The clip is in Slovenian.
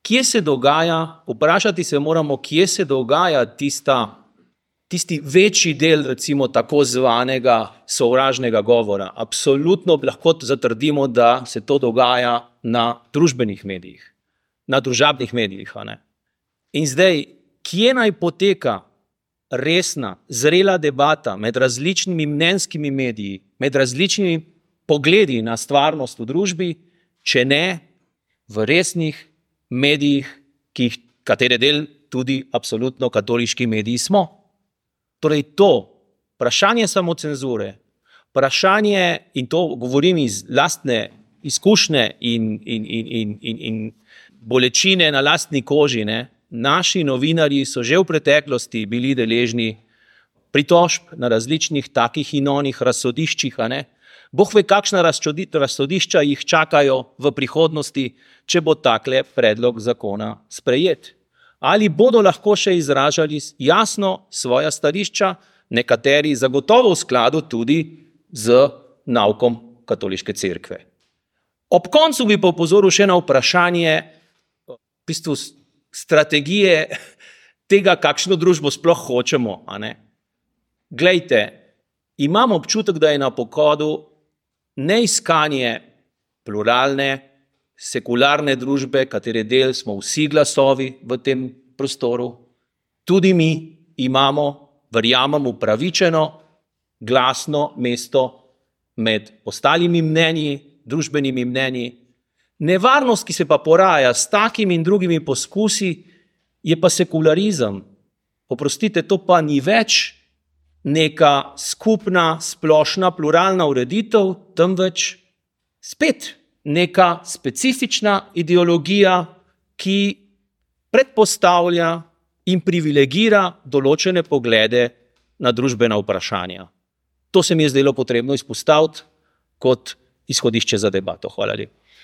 kje se dogaja, vprašati se moramo, kje se dogaja tisti večji del, recimo tako zvanega sovražnega govora. Absolutno lahko zatrdimo, da se to dogaja na družbenih medijih, na družabnih medijih. In zdaj, kje naj poteka resna, zrela debata med različnimi mnenjskimi mediji, med različnimi pogledi na stvarnost v družbi, če ne v resnih medijih, katere del tudi absolutno katoliški mediji smo. Torej to, vprašanje samocenzure, vprašanje, in to govorim iz lastne izkušnje in bolečine na lastni koži, naši novinarji so že v preteklosti bili deležni pritožb na različnih takih in onih razsodiščih, Bog ve, kakšna razsodišča jih čakajo v prihodnosti, če bo takle predlog zakona sprejet. Ali bodo lahko še izražali jasno svoja stališča, nekateri zagotovo v skladu tudi z naukom katoliške cerkve. Ob koncu bi pa opozoril še na vprašanje v bistvu strategije tega, kakšno družbo sploh hočemo. Glejte, imam občutek, da je na pohodu neiskanje pluralne, sekularne družbe, katere del smo vsi glasovi v tem prostoru. Tudi mi imamo, verjamem, upravičeno, glasno mesto med ostalimi mnenji, družbenimi mnenji. Nevarnost, ki se pa poraja s takimi in drugimi poskusi, je pa sekularizem. Oprostite, to pa ni več neka skupna, splošna, pluralna ureditev, temveč spet neka specifična ideologija, ki predpostavlja in privilegira določene poglede na družbena vprašanja. To se mi je zdelo potrebno izpostaviti kot izhodišče za debato. Hvala lepa.